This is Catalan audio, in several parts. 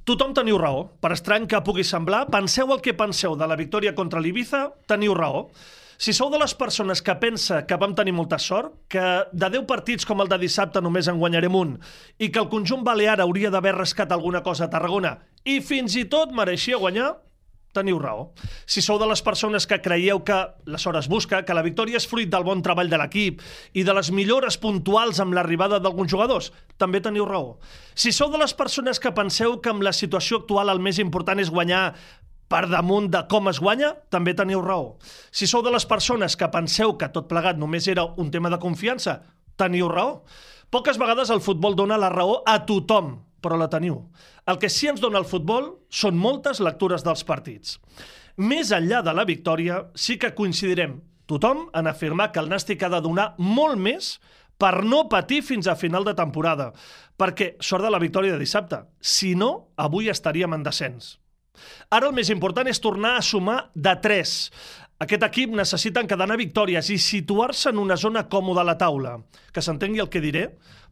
Tothom teniu raó. Per estrany que pugui semblar, penseu el que penseu de la victòria contra l'Ibiza, teniu raó. Si sou de les persones que pensa que vam tenir molta sort, que de 10 partits com el de dissabte només en guanyarem un, i que el conjunt balear hauria d'haver rascat alguna cosa a Tarragona, i fins i tot mereixia guanyar, teniu raó. Si sou de les persones que creieu que la sort es busca, que la victòria és fruit del bon treball de l'equip i de les millores puntuals amb l'arribada d'alguns jugadors, també teniu raó. Si sou de les persones que penseu que amb la situació actual el més important és guanyar per damunt de com es guanya, també teniu raó. Si sou de les persones que penseu que tot plegat només era un tema de confiança, teniu raó. Poques vegades el futbol dona la raó a tothom, però la teniu. El que sí ens dona el futbol són moltes lectures dels partits. Més enllà de la victòria, sí que coincidirem tothom en afirmar que el Nàstic ha de donar molt més per no patir fins a final de temporada, perquè sort de la victòria de dissabte. Si no, avui estaríem en descens. Ara el més important és tornar a sumar de 3. Aquest equip necessita encadenar victòries i situar-se en una zona còmoda a la taula. Que s'entengui el que diré,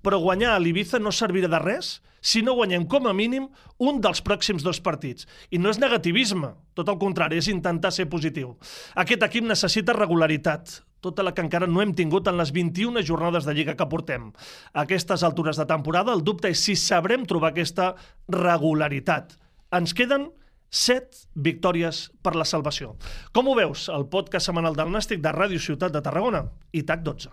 però guanyar a l'Ibiza no servirà de res si no guanyem com a mínim un dels pròxims 2 partits. I no és negativisme, tot el contrari, és intentar ser positiu. Aquest equip necessita regularitat, tota la que encara no hem tingut en les 21 jornades de Lliga que portem. A aquestes altures de temporada el dubte és si sabrem trobar aquesta regularitat. Ens queden 7 victòries per la salvació. Com ho veus? El podcast setmanal del Nàstic de Ràdio Ciutat de Tarragona i TAC 12.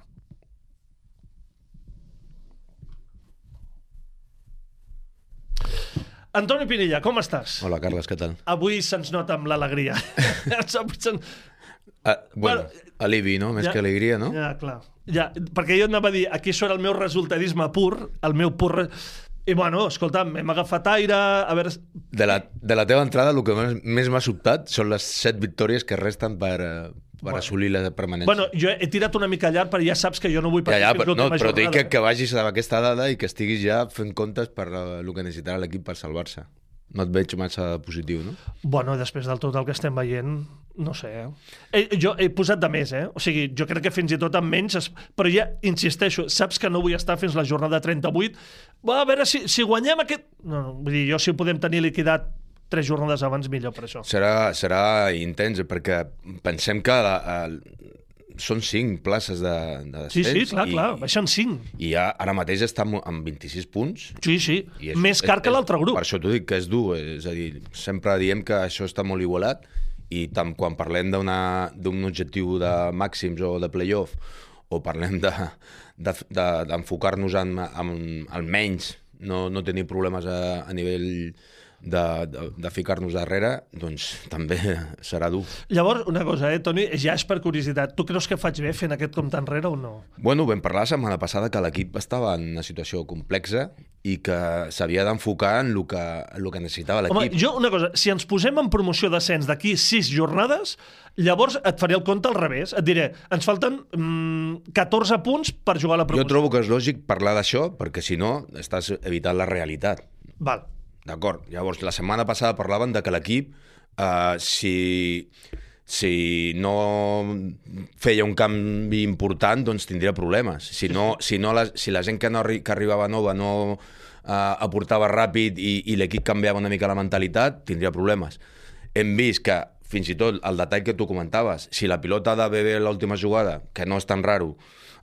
Antoni Pinilla, com estàs? Hola, Carles, què tal? Avui se'ns nota amb l'alegria. Bueno, alivi, no? Més que alegria, no? Ja, clar. Ja, perquè jo anava a dir, aquí surt el meu resultadisme pur, el meu pur... I bueno, escolta'm, hem agafat aire... A veure... De la teva entrada, el que més m'ha sobtat són les 7 victòries que resten per assolir la permanència. Bueno, jo he tirat una mica llarg, però ja saps que jo no vull patir fins l'última jornada. Però dic que vagis amb aquesta dada i que estiguis ja fent comptes per el que necessitarà l'equip per salvar-se. No et veig massa positiu, no? Bueno, després del tot el que estem veient, no sé. Jo he posat de més, O sigui, jo crec que fins i tot amb menys... Però ja, insisteixo, saps que no vull estar fins la jornada 38. A veure si guanyem aquest... No, vull dir, jo si ho podem tenir liquidat 3 jornades abans, millor per això. Serà intens, perquè pensem que són 5 places de descens. Sí, clar, baixen 5. I ja ara mateix està amb 26 punts. Sí, més car que l'altre grup. Per això t'ho dic que és dur, és a dir, sempre diem que això està molt igualat i tant quan parlem d'un objectiu de màxims o de play-off o parlem d'enfocar-nos en almenys no tenir problemes a nivell de ficar-nos darrere, doncs també serà dur. Llavors, una cosa, Toni, ja és per curiositat. Tu creus que faig bé fent aquest compte enrere o no? Bueno, vam parlar la setmana passada que l'equip estava en una situació complexa i que s'havia d'enfocar en el que necessitava l'equip. Home, jo, una cosa, si ens posem en promoció d'ascens d'aquí 6 jornades, llavors et faré el compte al revés. Et diré, ens falten 14 punts per jugar a la promoció. Jo trobo que és lògic parlar d'això, perquè si no estàs evitant la realitat. Val. D'acord. Llavors, la setmana passada parlaven de que l'equip, si no feia un canvi important, doncs tindria problemes. Si la gent que arribava nova no aportava ràpid i l'equip canviava una mica la mentalitat, tindria problemes. Hem vist que, fins i tot, el detall que tu comentaves, si la pilota de Bebé a l'última jugada, que no és tan raro,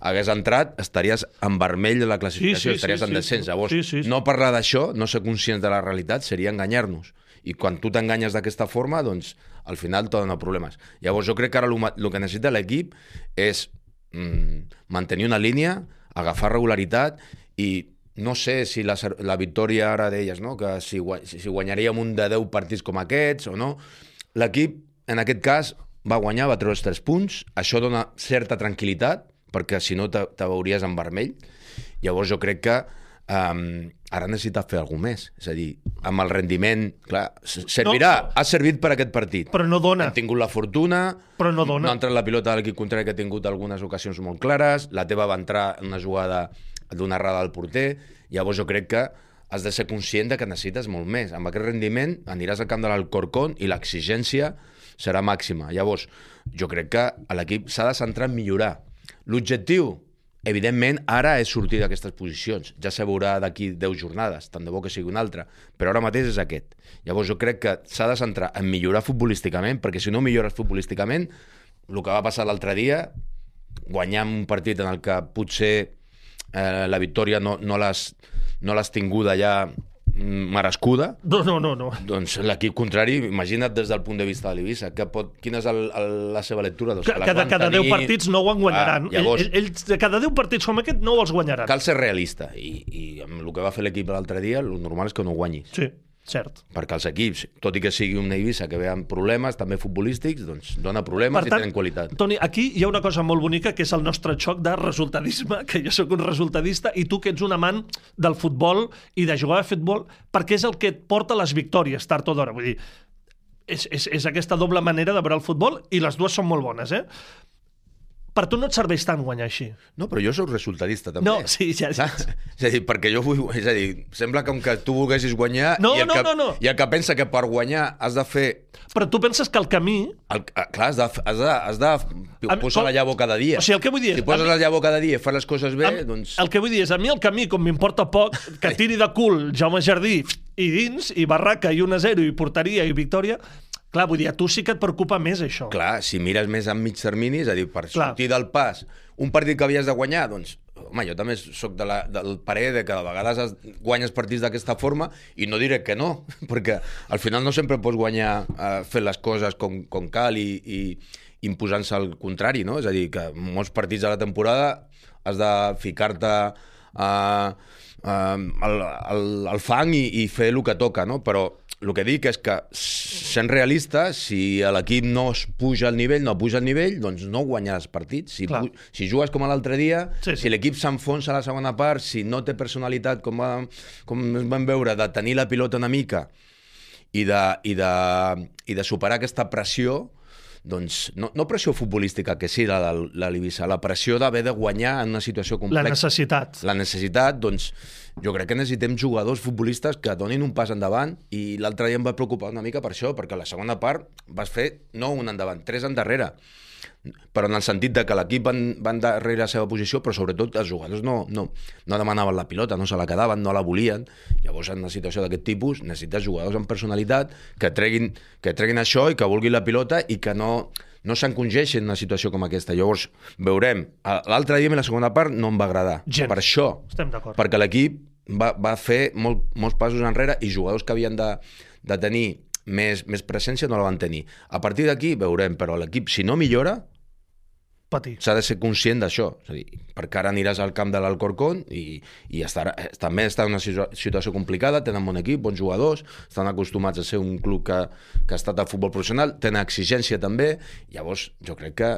hagués entrat, estaries en vermell de la classificació, estaries en descens. Llavors, no parlar d'això, no ser conscients de la realitat, seria enganyar-nos. I quan tu t'enganyes d'aquesta forma, doncs, al final t'ha donat problemes. Llavors, jo crec que ara el que necessita l'equip és mantenir una línia, agafar regularitat i no sé si la victòria ara d'elles, no? Que si guanyaríem un de 10 partits com aquests o no. L'equip, en aquest cas, va guanyar, va treure els 3 punts. Això dona certa tranquil·litat, perquè si no te veuries en vermell. Llavors jo crec que ara necessita fer alguna més. És a dir, amb el rendiment... Clar, ha servit per aquest partit. Però no dona. Hem tingut la fortuna, però no dona. No ha entrat la pilota de l'equip contrari, que ha tingut algunes ocasions molt clares, la teva va entrar en una jugada d'una errada al porter. Llavors jo crec que has de ser conscient de que necessites molt més. Amb aquest rendiment aniràs al camp de l'Alcorcón i l'exigència serà màxima. Llavors, jo crec que l'equip s'ha de centrar en millorar. L'objectiu evidentment, ara és sortir d'aquestes posicions. Ja se veurà d'aquí 10 jornades, tant de bo que sigui una altra, però ara mateix és aquest. Llavors jo crec que s'ha de centrar en millorar futbolísticament, perquè si no millores futbolísticament, el que va passar l'altre dia, guanyar un partit en el que potser la victòria no l'has tinguda ja merescuda, No. doncs l'equip contrari, imagina't des del punt de vista de l'Eivissa, quina és la seva lectura? Doncs cada 10 partits no ho en guanyaran. Llavors, Ells, cada 10 partits com aquest, no els guanyaran. cal ser realista, i amb el que va fer l'equip l'altre dia, el normal és que no guanyis. Sí, cert. Perquè els equips, tot i que sigui una Eivissa que ve amb problemes, també futbolístics, doncs dona problemes i tenen qualitat. Toni, aquí hi ha una cosa molt bonica, que és el nostre xoc de resultadisme, que jo sóc un resultadista, i tu que ets un amant del futbol i de jugar a futbol, perquè és el que et porta les victòries, tard o d'hora. Vull dir, és aquesta doble manera de veure el futbol, i les dues són molt bones, eh? Per tu no et serveix tant guanyar així. No, però jo sóc resultadista, també. No, sí, ja. És a dir, perquè jo vull... És a dir, sembla com que tu volguessis guanyar No. i el que pensa que per guanyar has de fer... Però tu penses que el camí... Clar, has de posar la llavor cada dia. O sigui, el que vull dir és... Si poses la llavor cada dia i fas les coses bé, doncs... El que vull dir és, a mi el camí, com m'importa poc, que tiri de cul Jaume Jardí i dins, i barraca, i 1-0, i porteria, i victòria... Clar, vull dir, a tu sí que et preocupa més això. Clar, si mires més a mig termini, és a dir, per sortir del pas, un partit que havies de guanyar, doncs, home, jo també sóc del parer de que a vegades guanyes partits d'aquesta forma, i no diré que no, perquè al final no sempre pots guanyar fent les coses com cal i imposant-se al contrari, no? És a dir, que en molts partits de la temporada has de ficar-te al fang i fer el que toca, no? Però el que dic és que, sent realista, si l'equip no es puja al nivell, doncs no guanyaràs partits. Si jugues com l'altre dia, si l'equip s'enfonsa a la segona part, si no té personalitat, com vam veure, de tenir la pilota una mica i de superar aquesta pressió, doncs no pressió futbolística, que sí, la l'Eivissa, la pressió d'haver de guanyar en una situació complexa. La necessitat, doncs, jo crec que necessitem jugadors futbolistes que donin un pas endavant, i l'altre dia em va preocupar una mica per això, perquè la segona part vas fer no un endavant, 3 endarrere. Però en el sentit de que l'equip va endarrere la seva posició, però sobretot els jugadors no demanaven la pilota, no se la quedaven, no la volien. Llavors, en una situació d'aquest tipus, necessites jugadors amb personalitat que treguin això i que vulguin la pilota i que no s'encongeixin en una situació com aquesta. Llavors, veurem. L'altre dia, a la segona part, no em va agradar. Per això, perquè l'equip va fer molts passos enrere i jugadors que havien de tenir més presència no la van tenir. A partir d'aquí veurem, però l'equip, si no millora, s'ha de ser conscient d'això. És a dir, perquè ara aniràs al camp de l'Alcorcón i també està en una situació complicada, tenen bon equip, bons jugadors, estan acostumats a ser un club que ha estat a futbol professional, tenen exigència també, llavors jo crec que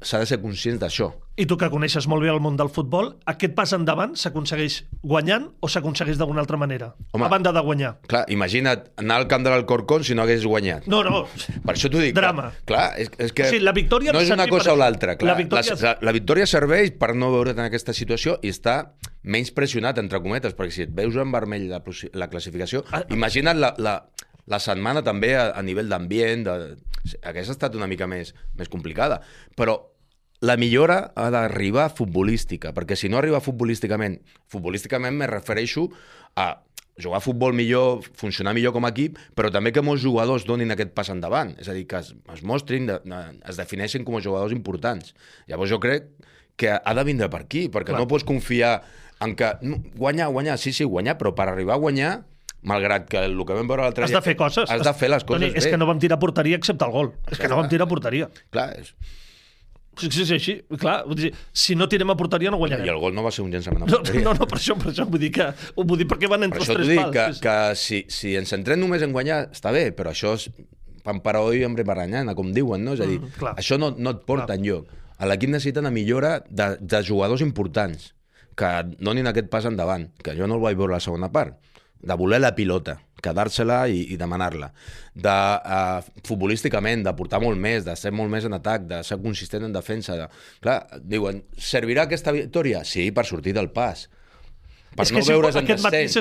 s'ha de ser conscient d'això. I tu, que coneixes molt bé el món del futbol, aquest pas endavant s'aconsegueix guanyant o s'aconsegueix d'alguna altra manera? A banda de guanyar. Clar, imagina't anar al camp de l'Alcorcón si no hagués guanyat. No. Per això t'ho dic. Drama. Clar, és que la victòria no és una cosa o l'altra. La victòria serveix per no veure't en aquesta situació i estar menys pressionat, entre cometes, perquè si et veus en vermell la classificació, imagina't la setmana també a nivell d'ambient, hagués estat una mica més complicada. Però la millora ha d'arribar futbolística, perquè si no arriba futbolísticament me refereixo a jugar a futbol millor, funcionar millor com a equip, però també que molts jugadors donin aquest pas endavant, és a dir, que es mostrin, es defineixin com a jugadors importants. Llavors jo crec que ha de vindre per aquí, perquè no pots confiar en que guanyar, sí, guanyar, però per arribar a guanyar, malgrat que el que vam veure l'altre dia... Has de fer coses. Has de fer les coses bé. És que no vam tirar a porteria excepte el gol. És que no vam tirar a porteria. Clar, és... Sí, així, clar. Si no tirem a porteria no guanyarem. I el gol no va ser un llançament a porteria. No, per això vull dir perquè van entre els tres pals. Per això t'ho dic, que si ens centrem només en guanyar, està bé, però això és pan para hoy, hambre para mañana, com diuen, no? És a dir, això no et porta enlloc. L'equip necessita una millora de jugadors importants que donin aquest pas endavant, que jo no el vaig veure a la segona part, de voler la pilota, quedar-se-la i demanar-la, futbolísticament, de portar molt més, de ser molt més en atac, de ser consistent en defensa. Clar, diuen, servirà aquesta victòria? Sí, per sortir del pas. Per no veure's en descens.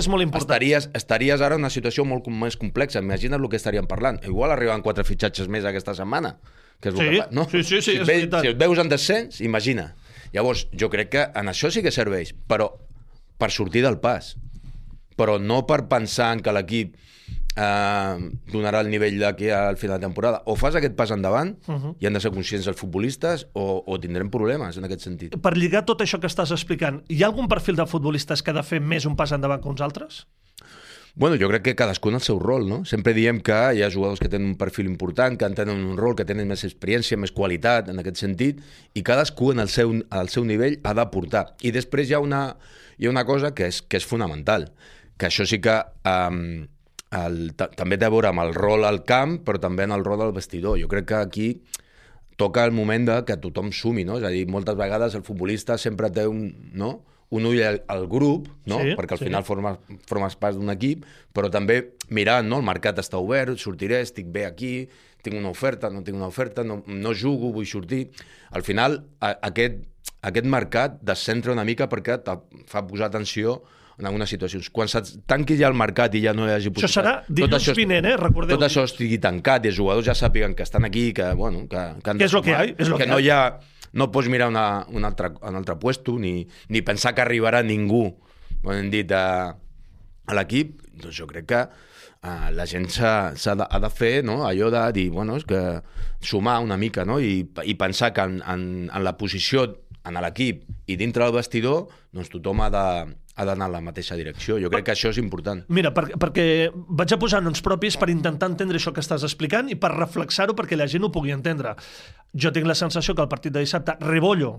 Estaries ara en una situació molt més complexa. Imagina't el que estaríem parlant. Igual arriben 4 fitxatges més aquesta setmana. Que és sí, és veritat. Si et veus en descens, imagina. Llavors, jo crec que en això sí que serveix, però per sortir del pas. Però no per pensar que l'equip donarà el nivell d'aquí al final de temporada. O fas aquest pas endavant, i han de ser conscients els futbolistes, o tindrem problemes en aquest sentit. Per lligar tot això que estàs explicant, hi ha algun perfil de futbolistes que ha de fer més un pas endavant que uns altres? Bueno, jo crec que cadascú en el seu rol, no? Sempre diem que hi ha jugadors que tenen un perfil important, que tenen un rol, que tenen més experiència, més qualitat, en aquest sentit, i cadascú al seu nivell ha d'aportar. I després hi ha una cosa que és fonamental, que això sí que també té a veure amb el rol al camp, però també en el rol del vestidor. Jo crec que aquí toca el moment que tothom sumi, no? És a dir, moltes vegades el futbolista sempre té un ull al grup, no? Sí, perquè al final formes part d'un equip, però també mirant, no? El mercat està obert, sortiré, estic bé aquí, tinc una oferta, no tinc una oferta, no jugo, vull sortir. Al final, aquest mercat descentra una mica perquè et fa posar atenció en algunes situacions. Quan se't tanqui ja el mercat i ja no hi hagi possibilitat... Això serà dilluns vinent, recordeu. Tot això estigui tancat i els jugadors ja sàpiguen que estan aquí, que és lo que hi ha. Que no hi ha... No pots mirar un altre puesto ni pensar que arribarà ningú, com hem dit, a l'equip. Doncs jo crec que la gent ha de fer, no? Allò de dir, bueno, és que sumar una mica, no? I pensar que en la posició en l'equip i dintre del vestidor, doncs tothom ha d'anar en la mateixa direcció. Jo crec que això és important. Mira, perquè vaig a posar noms propis per intentar entendre això que estàs explicant i per reflexar-ho perquè la gent ho pugui entendre. Jo tinc la sensació que el partit de dissabte Rebollo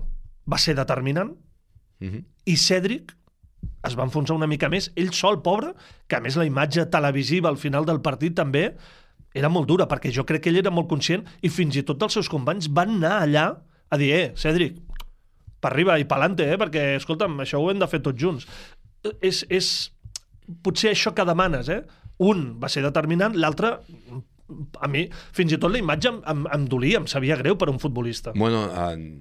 va ser determinant i Cédric es va enfonsar una mica més, ell sol, pobre, que a més la imatge televisiva al final del partit també era molt dura, perquè jo crec que ell era molt conscient i fins i tot els seus companys van anar allà a dir, Cédric, per arriba i pa'lante, perquè, escolta'm, això ho hem de fer tots junts. És potser això que demanes, Un va ser determinant, l'altre, a mi, fins i tot la imatge em dolia, em sabia greu per un futbolista. Bueno,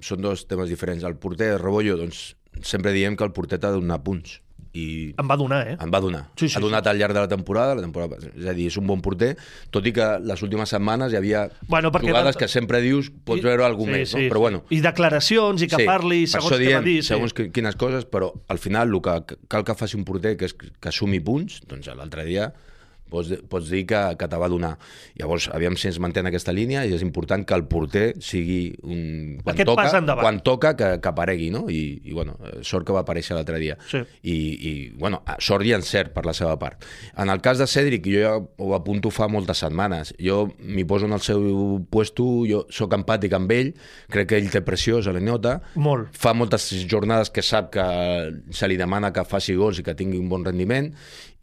són dos temes diferents. El porter, Rebollo, doncs, sempre diem que el porter t'ha de donar punts. I em va donar, Em va donar. Sí, ha donat al llarg de la temporada, és a dir, és un bon porter, tot i que les últimes setmanes hi havia jugades que sempre dius, pots veure alguna més, no? Però bueno. I declaracions, i que parli segons què va dir. Segons quines coses, però al final el que cal que faci un porter, que és que sumi punts, doncs l'altre dia pots dir que te va donar. Llavors, aviam si ens manté en aquesta línia i és important que el porter sigui quan toca que aparegui, no? I bueno, sort que va aparèixer l'altre dia. Sí. I bueno, sort i encert per la seva part. En el cas de Cédric, jo ja ho apunto fa moltes setmanes. Jo m'hi poso en el seu puesto, jo sóc empàtic amb ell, crec que ell té pressió, se li nota. Molt. Fa moltes jornades que sap que se li demana que faci gols i que tingui un bon rendiment,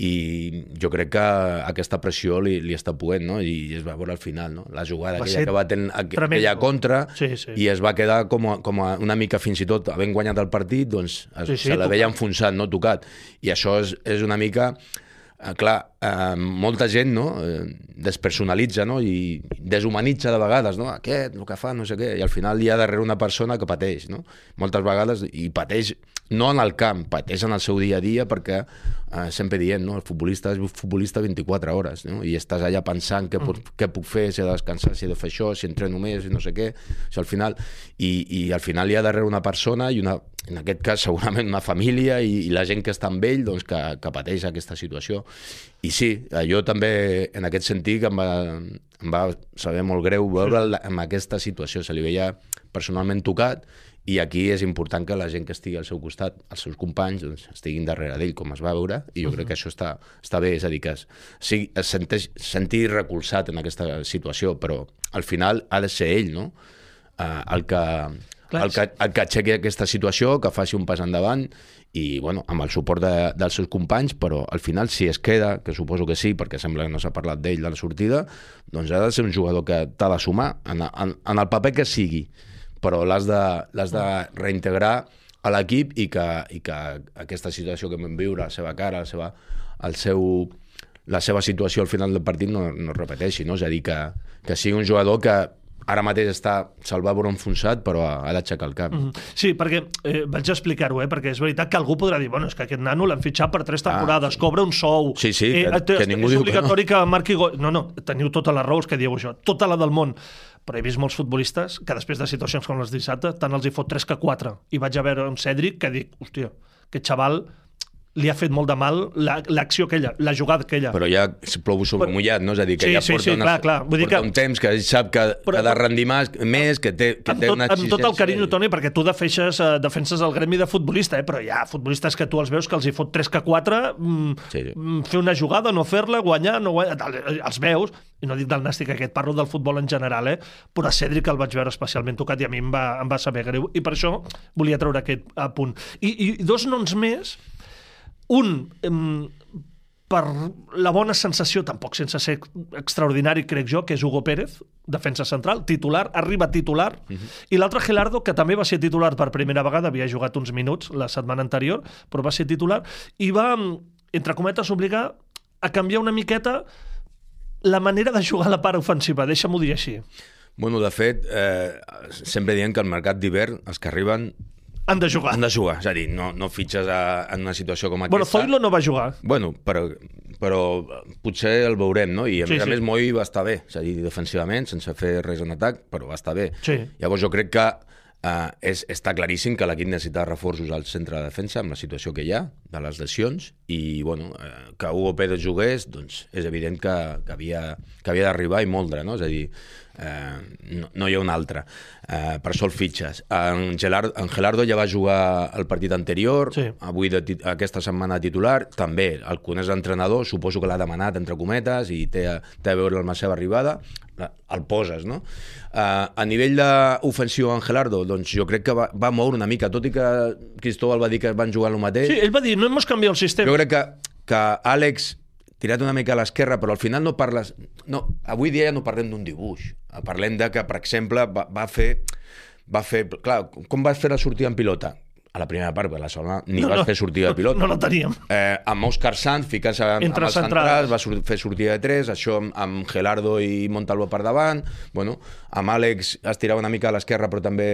i jo crec que aquesta pressió li està poent, no? I es va veure al final, no? La jugada que va tenir aquella contra, i es va quedar com una mica, fins i tot havent guanyat el partit, doncs se la veia enfonsat, no tocat. I això és una mica... Clar, molta gent despersonalitza, no? I deshumanitza de vegades, no? Aquest, el que fa, no sé què, i al final hi ha darrere una persona que pateix, no? Moltes vegades, i pateix no en el camp, pateix en el seu dia a dia, perquè sempre diem, no? El futbolista és futbolista 24 hores, no? I estàs allà pensant què puc fer, si he de descansar, si he de fer això, si entreno més, no sé què, això al final, i al final hi ha darrere una persona i en aquest cas segurament una família i la gent que està amb ell, doncs, que pateix aquesta situació. I sí, jo també en aquest sentit em va saber molt greu veure en aquesta situació, se li veia personalment tocat, i aquí és important que la gent que estigui al seu costat, els seus companys, doncs, estiguin darrere d'ell com es va veure, i jo crec que això està bé, és a dir, que es senti recolzat en aquesta situació, però al final ha de ser ell, no? El que aixequi aquesta situació, que faci un pas endavant i, bueno, amb el suport dels seus companys, però al final, si es queda, que suposo que sí, perquè sembla que no s'ha parlat d'ell de la sortida, doncs ha de ser un jugador que t'ha de sumar en el paper que sigui, però l'has de reintegrar a l'equip i que aquesta situació que vam viure, la seva cara, la seva situació al final del partit no es repeteixi, no? És a dir, que sigui un jugador que ara mateix se'l va veure enfonsat, però ha d'aixecar el cap. Sí, perquè vaig explicar-ho, perquè és veritat que algú podrà dir, bueno, és que aquest nano l'han fitxat per 3 temporades, cobra un sou... Sí, que ningú diu que no. És obligatori que marqui gol... No, teniu totes les raons que dieu això, tota la del món. Però he vist molts futbolistes que després de situacions com les dissabte tant els hi fot 3 que 4. I vaig a veure un Cèdric que dic, hòstia, aquest xaval li ha fet molt de mal l'acció aquella, la jugada aquella. Però ja plou sobre mullat, no? És a dir, que ja porta un temps que sap que ha de rendir més, que té una exigència. Amb tot el carinyo, Toni, perquè tu defenses el gremi de futbolista, però hi ha futbolistes que tu els veus que els hi fot 3 que 4, fer una jugada, no fer-la, guanyar, no guanyar, els veus, i no dic del nàstic aquest, parlo del futbol en general, però a Cèdric el vaig veure especialment tocat i a mi em va saber greu, i per això volia treure aquest punt. I 2 noms més. Un, per la bona sensació, tampoc sense ser extraordinari, crec jo, que és Hugo Pérez, defensa central, titular, arriba titular, i l'altre Gelardo, que també va ser titular per primera vegada, havia jugat uns minuts la setmana anterior, però va ser titular, i va, entre cometes, obligar a canviar una miqueta la manera de jugar a la part ofensiva, deixa'm-ho dir així. Bueno, de fet, sempre diem que al mercat d'hivern, els que arriben han de jugar. És a dir, no fitxes en una situació com aquesta. Bueno, Zoilo no va jugar. Bueno, però potser el veurem, no? I a més Moi va estar bé, és a dir, defensivament, sense fer res en atac, però va estar bé. Sí. Llavors jo crec que està claríssim que l'equip necessita reforços al centre de defensa amb la situació que hi ha, de les lesions, i bueno, que Hugo Pérez jugués, doncs és evident que havia d'arribar i moldre, no? És a dir, no hi ha un altre. Per això el fitxes. En Gelardo ja va jugar el partit anterior, avui aquesta setmana titular, també el coneix l'entrenador, suposo que l'ha demanat entre cometes i té a veure amb la seva arribada, el poses, no? A nivell d'ofensiu en Gelardo, doncs jo crec que va moure una mica, tot i que Cristóbal va dir que van jugar el mateix. Sí, ell va dir, no hem canviat el sistema. Jo crec que Àlex tirat una mica a l'esquerra, però al final no parles... No, avui dia ja no parlem d'un dibuix. Parlem de que, per exemple, va fer... Clar, com vas fer la sortida en pilota? A la primera part, a la segona, ni vas fer sortida de pilota. No la teníem. Amb Òscar Sanz, ficant-se amb els centrals, va fer sortida de 3, això amb Gelardo i Montalvo per davant, bueno, amb Àlex es tirava una mica a l'esquerra, però també...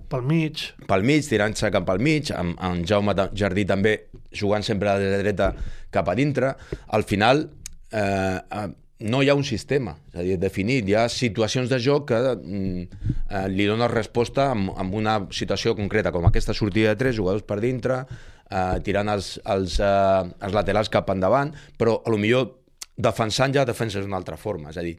Pel mig, tirant-se cap al mig, amb Jaume Jardí també jugant sempre de dreta cap a dintre. Al final no hi ha un sistema, és a dir, definit. Hi ha situacions de joc que li donen resposta amb una situació concreta, com aquesta sortida de 3, jugadors per dintre, tirant els laterals cap endavant, però potser defensant ja defenses d'una altra forma. És a dir,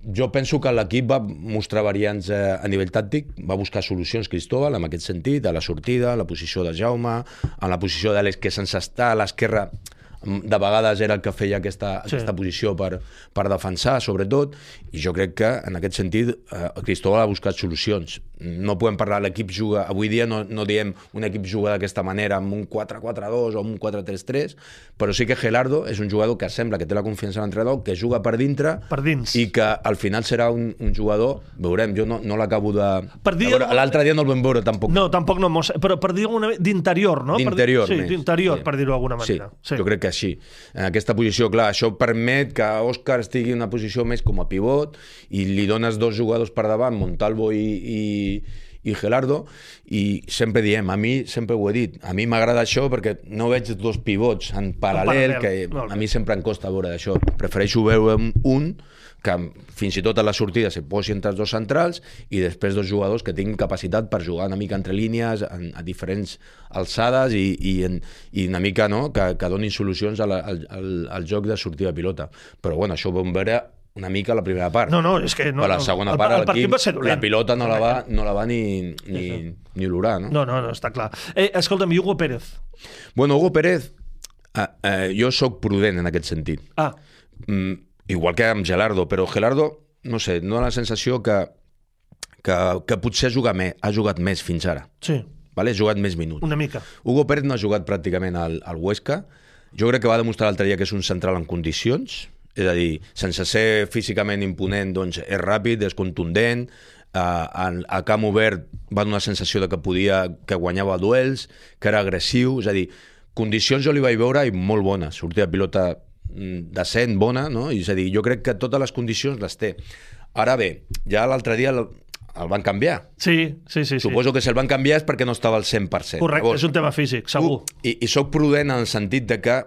jo penso que l'equip va mostrar variants a nivell tàctic, va buscar solucions Cristóbal en aquest sentit, a la sortida, a la posició de Jaume, en la posició d'Àlex, que sense estar a l'esquerra de vegades era el que feia aquesta posició per defensar, sobretot, i jo crec que en aquest sentit Cristóbal ha buscat solucions. No podem parlar, l'equip juga, avui dia no diem un equip juga d'aquesta manera amb un 4-4-2 o amb un 4-3-3, però sí que Gelardo és un jugador que sembla que té la confiança de l'entrenador, que juga per dintre, per dins, i que al final serà un jugador, veurem, jo no l'acabo de... L'altre dia no el vam veure tampoc. No, tampoc no, però per dir alguna manera, d'interior, no? D'interior, sí, d'interior, per dir-ho d'alguna manera. Sí, jo crec que sí. En aquesta posició, clar, això permet que Òscar estigui en una posició més com a pivot i li dones 2 jugadors per davant, Montalvo i Gelardo, i sempre diem, a mi sempre ho he dit, a mi m'agrada això perquè no veig 2 pivots en paral·lel, que a mi sempre em costa veure això. Prefereixo veure un que fins i tot a la sortida se posi entre els 2 centrals i després 2 jugadors que tinguin capacitat per jugar una mica entre línies a diferents alçades i una mica, no?, que donin solucions al joc de sortida de pilota. Però bueno, això ho vam veure una mica a la primera part. No, és que no. Per la segona part l'equip, la pilota no la va ni olorar, no? No, està clar. Escolta'm, Hugo Pérez. Bueno, Hugo Pérez, jo sóc prudent en aquest sentit. Igual que amb Gelardo, però Gelardo, no sé, no la sensació que potser ha jugat més fins ara. Sí. Ha jugat més minuts. Una mica. Hugo Pérez no ha jugat pràcticament al Huesca. Jo crec que va demostrar l'altre dia que és un central en condicions, és a dir, sense ser físicament imponent, doncs és ràpid, és contundent, a camp obert va donar la sensació de que guanyava duels, que era agressiu, és a dir, condicions jo li vaig veure i molt bones, sortida de pilota decent, bona, no? És a dir, jo crec que totes les condicions les té. Ara bé, ja l'altre dia el van canviar. Sí. Suposo que si el van canviar és perquè no estava al 100%. Correcte, Llavors, és un tema físic, segur. I soc prudent en el sentit de que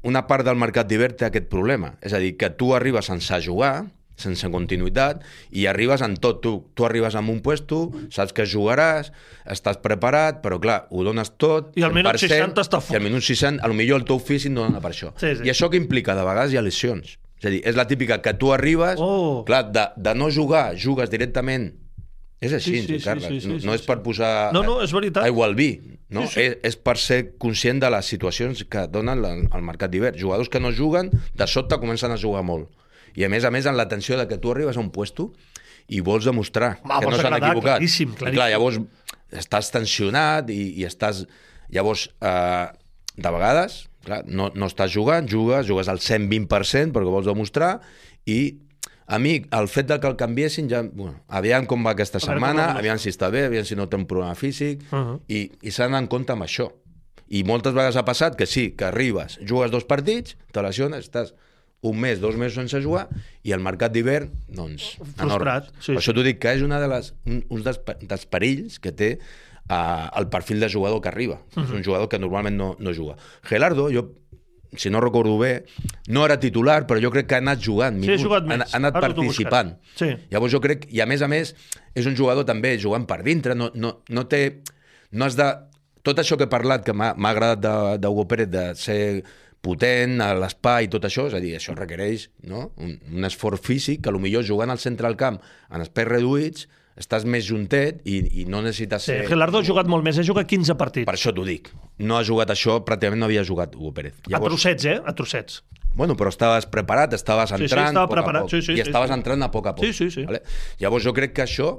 una part del mercat d'hivern té aquest problema. És a dir, que tu arribes sense jugar, sense continuïtat, i arribes en tot. Tu arribes en un puesto, saps que jugaràs, estàs preparat, però clar, ho dones tot... I al minut 60 està fort. I al minut 60, potser el teu físic no dona per això. Sí. I això que implica? De vegades hi ha lesions. És a dir, és la típica que tu arribes, clar, de no jugar, jugues directament. És així, Carles. No és per posar és veritat. aigua al vi. No? És per ser conscient de les situacions que donen el mercat d'hivern. Jugadors que no juguen, de sobte comencen a jugar molt. I a més, en l'atenció de que tu arribes a un puesto i vols demostrar que no s'han equivocat. Claríssim. I clar, llavors estàs tensionat i estàs... Llavors, de vegades, clar, no estàs jugant, jugues al 120% perquè vols demostrar i a mi, el fet de que el canviessin ja... Bueno, aviam com va aquesta setmana, aviam si està bé, aviam si no té un problema físic, i s'han d'anar en compte amb això. I moltes vegades ha passat que sí, que arribes, jugues 2 partits, te lesiones, estàs un mes, 2 mesos sense jugar, i el mercat d'hivern, doncs... Frustrat. Per això t'ho dic que és un dels perills que té el perfil de jugador que arriba. És un jugador que normalment no juga. Gerardo, si no recordo bé, no era titular, però jo crec que ha anat jugant. Sí, ha jugat més. Ha anat participant. Sí. Llavors jo crec, i a més, és un jugador també jugant per dintre, no has de... Tot això que he parlat, que m'ha agradat d'Hugo Pérez, de ser potent a l'espai i tot això, és a dir, això requereix un esforç físic, que potser jugant al centre del camp en espais reduïts estàs més juntet i no necessites ser... Gerardo ha jugat molt més, ha jugat 15 partits. Per això t'ho dic. No ha jugat això, pràcticament no havia jugat Hugo Pérez. Llavors... A trossets, A trossets. Bueno, però estaves preparat, estaves entrant estava preparat. I estaves entrant a poc a poc. Sí. Vale? Llavors jo crec que això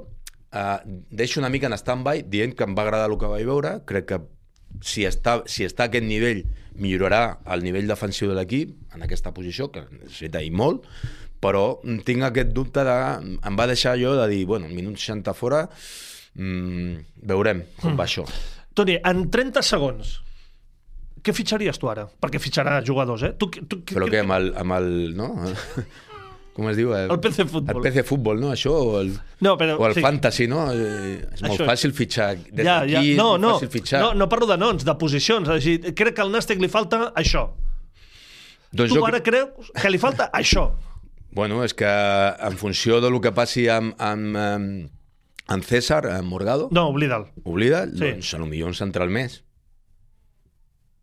deixo una mica en stand-by, dient que em va agradar el que vaig veure, crec que si està a aquest nivell millorarà el nivell defensiu de l'equip en aquesta posició, que necessita i molt, però tinc aquest dubte em va deixar allò de dir, bueno, minut 60 fora, veurem com va això. Toni, en 30 segons, què fitxaries tu ara? Perquè fitxarà jugadors, Però què, amb el no? Com es diu? El PC Futbol. El PC Futbol, no? Això, o el Fantasy, no? És molt fàcil fitxar. Des d'aquí és molt fàcil fitxar. No parlo de noms, de posicions. És dir, crec que al Nàstic li falta això. Doncs tu ara creus que li falta això. Bueno, és que en funció del que passi amb César, amb Morgado... No, oblida'l. Oblida'l? Sí. Doncs potser un central més.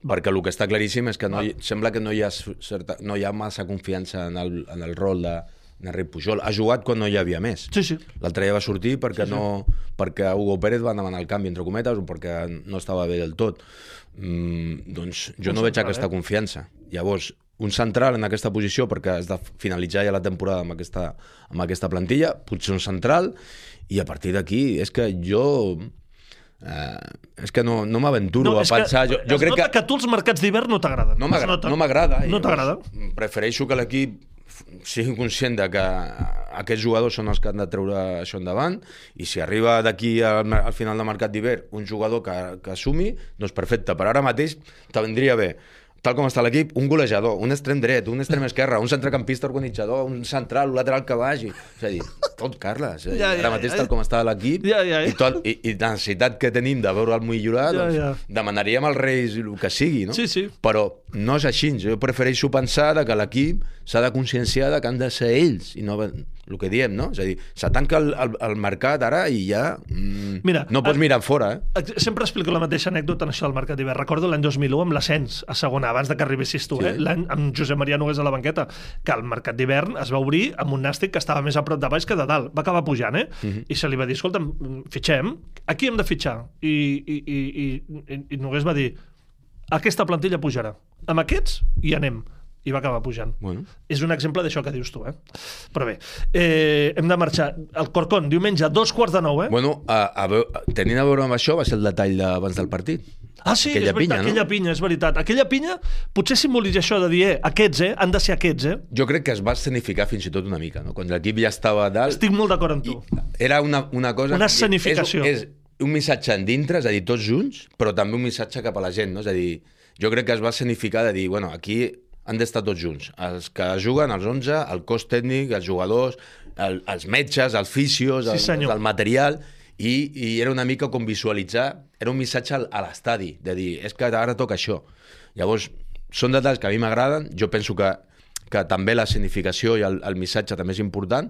Perquè el que està claríssim és que sembla que no hi ha massa confiança en el rol d'Enric Pujol. Ha jugat quan no hi havia més. Sí. L'altre dia va sortir perquè Hugo Pérez va demanar el canvi, entre cometes, o perquè no estava bé del tot. Doncs jo no veig aquesta confiança. Llavors, un central en aquesta posició, perquè has de finalitzar ja la temporada amb aquesta plantilla, potser un central, i a partir d'aquí és que jo... és que no m'aventuro a pensar... Jo crec que tu els mercats d'hivern no t'agraden. No m'agrada. No t'agrada. Prefereixo que l'equip sigui conscient de que aquests jugadors són els que han de treure això endavant, i si arriba d'aquí al final del mercat d'hivern un jugador que assumi, doncs perfecte. Per ara mateix te vendria bé, tal com està l'equip, un golejador, un extrem dret, un extrem esquerre, un centrecampista organitzador, un central, un lateral que vagi. És a dir, tot, Carles. Ara mateix, tal com està l'equip, i la necessitat que tenim de veure'l millorar, doncs demanaríem als Reis el que sigui, no? Sí. Però no és així. Jo prefereixo pensar que l'equip s'ha de conscienciar que han de ser ells, i no el que diem, no? És a dir, se tanca el mercat ara i ja no pots mirar fora, Sempre explico la mateixa anècdota en això del mercat d'hivern. Recordo l'any 2001 amb l'ascens a segona, abans de que arribessis tu, l'any amb Josep Maria Nogués a la banqueta, que el mercat d'hivern es va obrir amb un Nàstic que estava més a prop de baix que de dalt. Va acabar pujant, i se li va dir, escolta'm, fitxem, aquí hem de fitxar. I Nogués va dir, aquesta plantilla pujarà. Amb aquests hi anem. I va acabar pujant. Bueno. És un exemple d'això que dius tu, Però bé, hem de marxar. El Corcón, diumenge, 2:15. Bueno, tenint a veure amb això, va ser el detall d'abans del partit. Ah, sí, és veritat, aquella pinya, és veritat. Aquella pinya potser simbolitza això de dir, aquests, han de ser aquests, Jo crec que es va escenificar fins i tot una mica, no? Quan l'equip ja estava a dalt... Estic molt d'acord amb tu. Era una cosa... Una escenificació. És un missatge en dintre, és a dir, tots junts, però també un missatge cap a la gent, no? És a dir, jo crec que es va escenificar de dir, bueno, aquí han d'estar tots junts. Els que juguen, els 11, el cos tècnic, els jugadors, els metges, els fisios, el material, i era una mica com visualitzar, era un missatge a l'estadi, de dir, és que ara toca això. Llavors, són detalls que a mi m'agraden, jo penso que també la significació i el missatge també és important,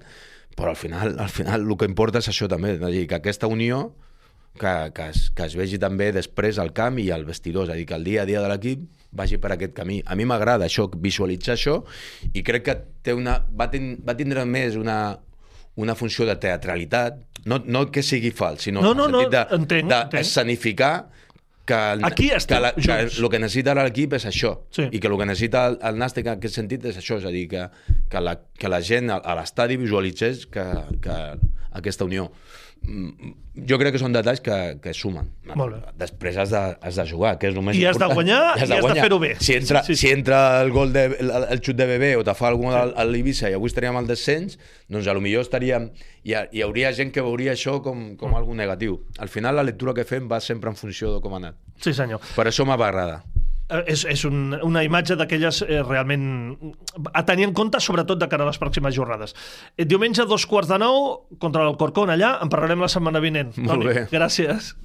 però al final el que importa és això també, és a dir, que aquesta unió que es vegi també després al camp i al vestidor, és a dir, que el dia a dia de l'equip vagi per aquest camí. A mi m'agrada això, visualitzar això, i crec que va tindre més una funció de teatralitat, no que sigui fals, sinó en el sentit d'escenificar que el que necessita l'equip és això, i que el que necessita el Nàstic en aquest sentit és això, és a dir, que la gent a l'estadi visualitzés aquesta unió. Jo crec que són detalls que sumen. Després has de jugar, que és el més important. I has de guanyar i has de fer-ho bé. Si entra el gol el xut de Bebé o te fa algun a l'Eivissa i avui estaríem al descens, doncs potser estaríem... Hi hauria gent que veuria això com algo negatiu. Al final la lectura que fem va sempre en funció de com ha anat. Sí, senyor. Per això m'agrada. És una imatge d'aquelles realment a tenir en compte, sobretot de cara a les pròximes jornades. Diumenge 8:15 contra l'Alcorcón allà, en parlarem la setmana vinent. Molt bé. Gràcies.